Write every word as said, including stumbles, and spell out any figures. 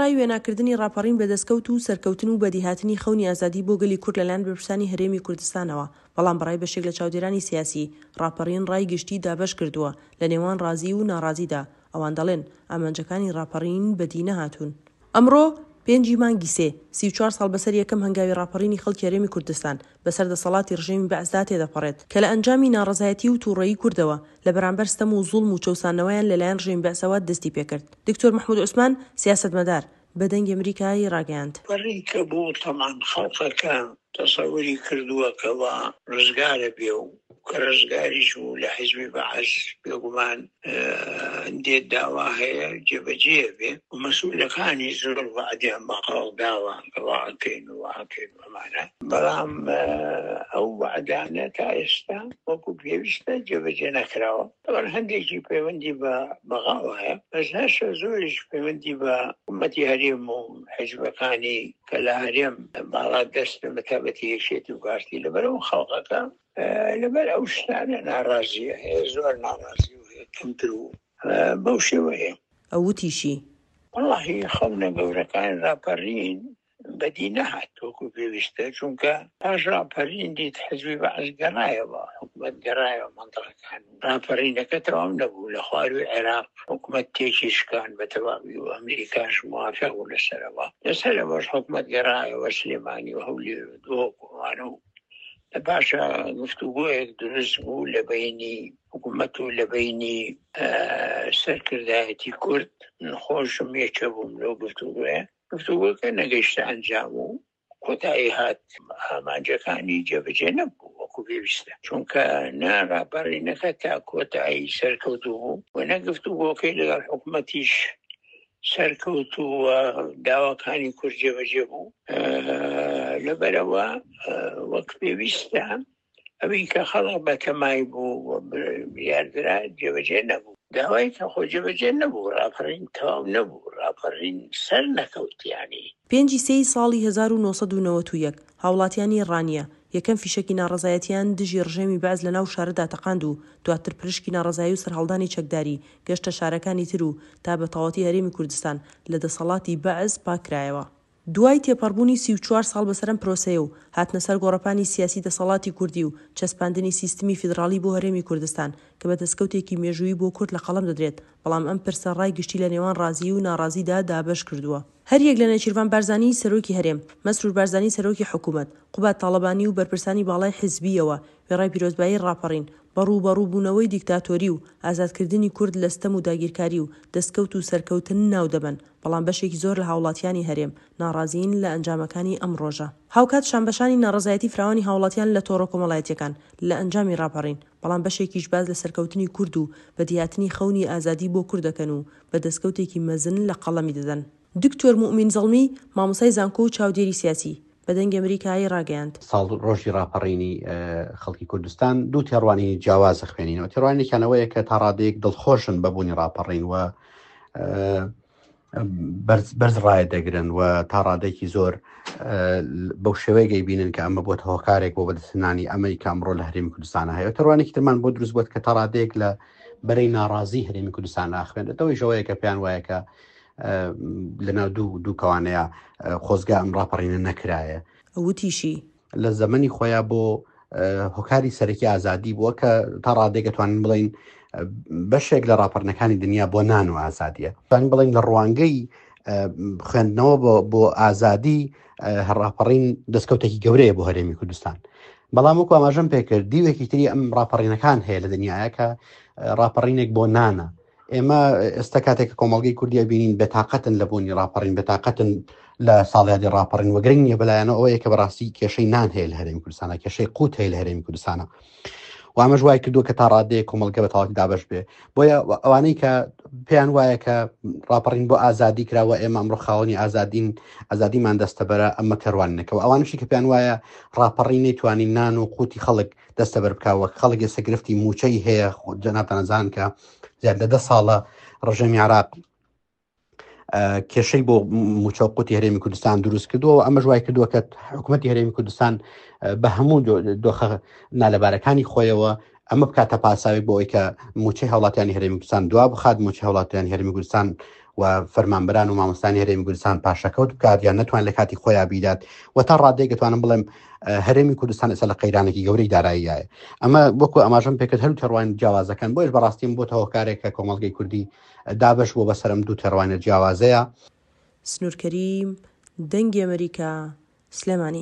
وێڕای وێناکردنی ڕاپەڕین بە دەستکەوت و سەرکەوتن و بەدیهاتنی خەونی ئازادی بۆ گەلی کورد لەلایەن بەرپرسانی هەرێمی کوردستانەوە، بەڵام بەڕای بەشێک لە چاودێرانی سیاسی، ڕاپەڕین ڕای گشتی دابەشکردووە لە نێوان ڕازی و ناڕازیدا، ئەوان دەڵێن ئامانجەکانی ڕاپەڕین بەدی نەهاتوون. ئەمڕۆ پێنجی مانگی سێ، سی و چوار ساڵ بەسەر یەکەم هەنگاوی ڕاپەڕینی خەڵکی هەرێمی کوردستان بەسەر دەسەڵاتی ڕژێمی بەعسدا تێدەپەڕێت کە لە ئەنجامی ناڕەزایەتی و توڕەیی کوردەوە لە بەرامبەر ستەم و زوڵم و چەوساندنەوەیان لەلایەن ڕژێمی بەعسەوە دەستی پێکرد. دکتۆر مەحمود عوسمان، سیاسەتمەدار، بە دەنگی ئەمریکای ڕاگەیاند. پەڕی کە بوو تەبعەن خەڵقەکە تەسەوری کردووە کەوا ڕزگارە بێ و کە ڕزگاریش بوو لە حیزبی بەعس بێگومان هەندێ داوا هەیە جێبەجێ بێ و مەسئولەکانی زۆر وەعدیان بە خەڵک داوە کە وا ئەکەین و وا ئەکەین و ئەمانە، بەڵام ئەو وەعدانە تا ئێستا وەکو پێویستە جێبەجێ نەکراوە. تەبعەن هەندێکی پەیوەندی بە بەغاوە هەیە، بەس هەشە زۆریش پەیوەندی بە حکوومەتی هەرێم و حیزبەکانی کە لە هەرێم باڵا دەستن بە تایبەتی یەکێتی و پارتی، لەبەرئەوە خەڵکەکە لەبەر ئەو شتانە ناڕازیە، هەیە زۆر ناڕازی و هەیە کەمتر و بەو شێوەیە. ئەو وتیشی. وەڵاهی خەونە گەورەکانی ڕاپەڕین بەدی نەهات وەکو پێویستە، چونکە پاش ڕاپەرین دیت حزبی بەعس گەڕایەوە، حکومەت گەڕایەوە مەنتەقەکان، ڕاپەرینەکە تەواو نەبوو، لە خواروی عێراق حکومەت تێکی شکان بە تەواوی و ئەمریکاش موافق بوو لەسەرەوە، لەسەرەوەش حکومەت گەڕایەوە سلێمانی و هەولێر و دهۆک و ئەوانە و لە پاشا گفتوگۆیەک دروست بوو لە بەینی حکومەت و لە بەینی سەرکردایەتی کورد، من خۆشم یەکێ بووم لەو گفتوگۆیە. گفتوگۆکە نەگەیشتە ئەنجام و کۆتایی هات، ئامانجەکانی جێبەجێ نەبوو وەکو پێویستە، چونکە نە ڕاپەڕینەکە تا کۆتایی سەرکەوتوو بوو و نە گفتوگۆکەی لەگەڵ حکومەتیش سەرکەوتوو و داواکانی کورد جێبەجێ بوو. لەبەرئەوە وەک پێویستە ئەوی کە خەڵک بەتەمای بوو و بڕیاردرا جێبەجێ نەبوو. داوای کە خۆ جێبەجێ نەبوو، ڕاپەڕین تەواو نەبوو، ڕاپەڕین سەر نەکەوت یانی. پێنجی سێی ساڵی هەزار و نۆ سەد و نەوەد و یەک هاوڵاتیانی ڕانیە یەکەم فیشەکی ناڕەزایەتیان دژی ڕژێمی بەعس لەناو شارەدا تەقاند و دواتر پرشکی ناڕەزایی و سەرهەڵدانی چەکداری گەشتە شارەکانی تر و تا بە تەواوەتی هەرێمی کوردستان لە دەسەڵاتی بەعس پاککرایەوە. دوای تێپەڕبوونی سی و چوار ساڵ بەسەر ئەم پرۆسەیە و هاتنە سەر گۆڕەپانی سیاسی دەسەڵاتی کوردی و چەسپاندنی سیستمی فیدڕاڵی بۆ هەرێمی کوردستان کە بە دەسکەوتێکی مێژوویی بۆ کورد لە قەڵەم دەدرێت، بەڵام ئەم پرسە ڕای گشتی لە نێوان ڕازیی و ناڕازیدا دابەش کردووە. هەریەک لە نێچیرڤان بارزانی سەرۆکی هەرێم، مەسرور بارزانی سەرۆکی حکوومەت، قوباد تاڵەبانی و بەرپرسانی باڵای حیزبییەوە وێڕای پیرۆزبایی ڕاپەڕین، بە ڕووبەڕووبوونەوەی دیکتاتۆری و ئازادکردنی کورد لە ستەم و داگیرکاری و دەستکەوت و سەرکەوتن ناو دەبەن، بەڵام بەشێکی زۆر لە هاوڵاتیانی هەرێم ناڕازیین لە ئەنجامەکانی ئەم ڕۆژە. هاوکات شانبەشانی ناڕەزایەتی فراوانی هاوڵاتیان لە تۆڕە کۆمەڵایەتیەکان لە ئەنجامی ڕاپەڕین، بەڵام بەشێکیش باس لە سەرکەوتنی کورد و بەدیهاتنی خەونی ئازادی بۆ کورد دەکەن و بە دەستکەوتێکی مەزن لە قەڵەمی دەدەن. دکتۆر موئمین زەڵمی، مامۆستای زانکۆ و چاودێری سیاسی، بە دەنگی ئەمریکای ڕاگەیاند. ساڵڕۆژی ڕاپەڕینی خەڵکی کوردستان دوو تێڕوانینی جیاواز ئەخوێنینەوە. تێڕوانینێکیان ئەوەیە کە تا ڕادەیەک دڵخۆشن بە بوونی ڕاپەڕین و بەرز بەرز ڕایە دەگرن و تا ڕادێکی زۆر بەو شێوەیە گەیبینن کە ئەمە بۆتە هۆکارێک بۆ بەدەستهێنانی ئەمەی کە ئەمڕۆ لە هەرێمی کوردستانە هەیە. تێڕوانێکی ترمان بۆ دروست بووە کە تا ڕادەیەک لە بەرەی ناڕازی هەرێمی کوردستان ئاخوێنێتەوەی ژەوەیە کە پێیان وایە کە لەناو دوو دوو کەوانەیە خۆزگا ئەم ڕاپەڕینە نەکرایە. وتیشی. لە زەمەنی خۆیان بۆ هۆکاری سەرەکی ئازادی بووە کە تا ڕادێک ئەتوانین بڵین بەشێک لە ڕاپەڕنەکانی دنیا بۆ نان و ئازادیە. توانین بڵین لە ڕوانگەی خوێندنەوە بۆ بۆ ئازادی ڕاپەڕین دەستکەوتێکی گەورەیە بۆ هەرێمی کوردستان. بەڵام وەکو ئاماژەم پێکرد دیوێکی تری ئەم ڕاپەڕینەکان هەیە لە دنیاە کە ڕاپەڕینێک بۆ نانە. ئێمە ئێستا کاتێک کە کۆمەڵگەی کوردی ئەبینین بێتاقەتن لە بوونی ڕاپەڕین، بێتاقەتن لە ساڵیادی ڕاپەڕین و گرنگ نییە بەلایەنەوە ئەوەیە کە بەڕاستی کێشەی نان هەیە لە هەرێمی کوردستانە، کێشەی قوت هەیە لە هەرێمی کوردستانە و ئەمەش وای کردووە کە تا ڕادەیەک کۆمەڵگە بە تەواوەتی دابەش بێ. بۆیە ئەوانەی کە پێیان وایە کە ڕاپەڕین بۆ ئازادی کراوە، ئێمە ئەمڕۆ خاوەنی ئازادین، ئازادیمان دەستەبەرە، ئەمە تێڕوانینەکەەوە. ئەوانشی کە پێیان وایە ڕاپەڕین نەیتوانی نان و قوتی خەڵک دەستەبەر بکا، وەک خەڵک ئێستا گرفتی موچەی هەیە، جەنابتان ئەزان کە زیاد لە دە ساڵە ڕژێمی عێراق کێشەی بۆ موچە و قوتی هەرێمی کوردستان دروست کردووە و ئەمەش وای کردووە کە حکوومەتی هەرێمی کوردستان بە هەموو دۆخە نالەبارەکانی خۆیەوە ئەمە بکاتە پاساوێک بۆ ئەوەی کە موچەی هاوڵاتیانی هەرێمی کوردستان دوا بخات، موچەی هاوڵاتیانی هەرێمی کوردستان و فەرمانبەران و مامۆستانی هەرێمی کوردستان پاشەکەوت بکات یان نەتوان لە کاتی خۆیان بیدات و تا ڕادەیەک دەتوانم بڵێم هەرێمی کوردستان ئێستا لە قەیرانێکی گەورەی داراییایە ئەمە وەکو ئاماژەم پێکرد هەر تێڕوانین جیاوازەکان بۆیش بەڕاستیم بۆتە هۆکارێک کە کۆمەڵگەی کوردی دابەش بووە بەسەرم دوو تێڕوانینە جیاوازەیە. سنوور کەریم، دەنگی ئەمەریکا، سلێمانی.